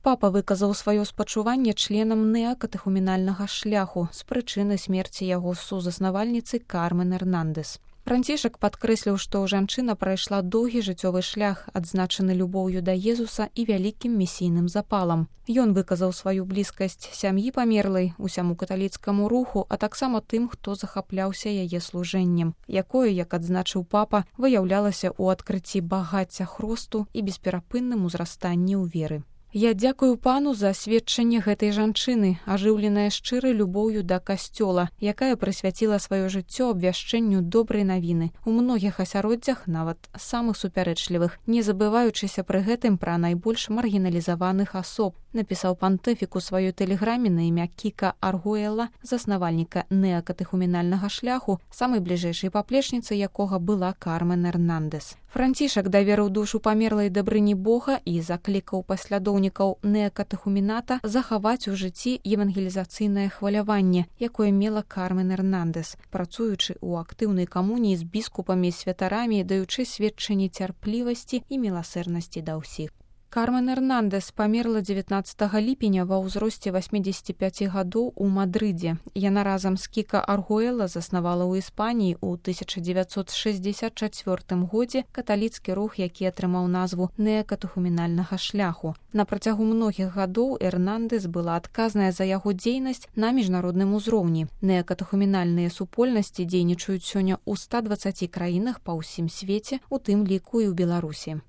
Папа выказаў сваё спачуванне членам неакатэхуменальнага шляху з прычыны смерці яго сузаснавальніцы Кармен Эрнандес. Францішак падкрэсліў, што жанчына прайшла доўгі жыццёвы шлях, адзначаны любоўю да Езуса і вялікім місійным запалам. Ён выказаў сваю блізкасць сям'і памерлай, усяму каталіцкаму руху, а таксама тым, хто захапляўся яе служэннем, якое, як адзначыў папа, выяўлялася ў адкрыцці багацця хросту і бесперапынным узрастанні ў веры. Я дзякую пану за сведчанне гэтай жанчыны, ажыўленае шчырай любоўю да касцёла, якая прысвяціла сваё жыццё абвяшчэнню добрай навіны у многіх асяроддзях, нават самых супярэчлівых, не забываючыся пры гэтым пра найбольш маргіналізаваных асоб, напісаў пантыфік у сваёй тэлеграме на імя Кіка Аргуэла, заснавальніка неакатэхуменальнага шляху, самай бліжэйшай паплечніцай якога была Кармен Эрнандес. Францішак даверыў душу памерлай дабрыні Бога і заклікаў паслядоўнікаў неакатэхумената захаваць у жыцці евангелізацыйнае хваляванне, якое мела Кармен Эрнандес, працуючы ў актыўнай камуніі з біскупамі і святарамі, даючы сведчанні цярплівасці і міласэрнасці да ўсіх. Кармен Эрнандес памерла 19 ліпеня ва ўзросце 85 гадоў у Мадрыдзе. Яна разам з Кіка Аргуэла заснавала ў Іспаніі ў 1964 годзе каталіцкі рух, які атрымаў назву неакатэхуменальнага шляху. На працягу многіх гадоў Эрнандес была адказная за яго дзейнасць на міжнародным узроўні. Неакатэхуменальныя супольнасці дзейнічаюць сёння ў 120 краінах па ўсім свеце, у тым ліку і ў Беларусі.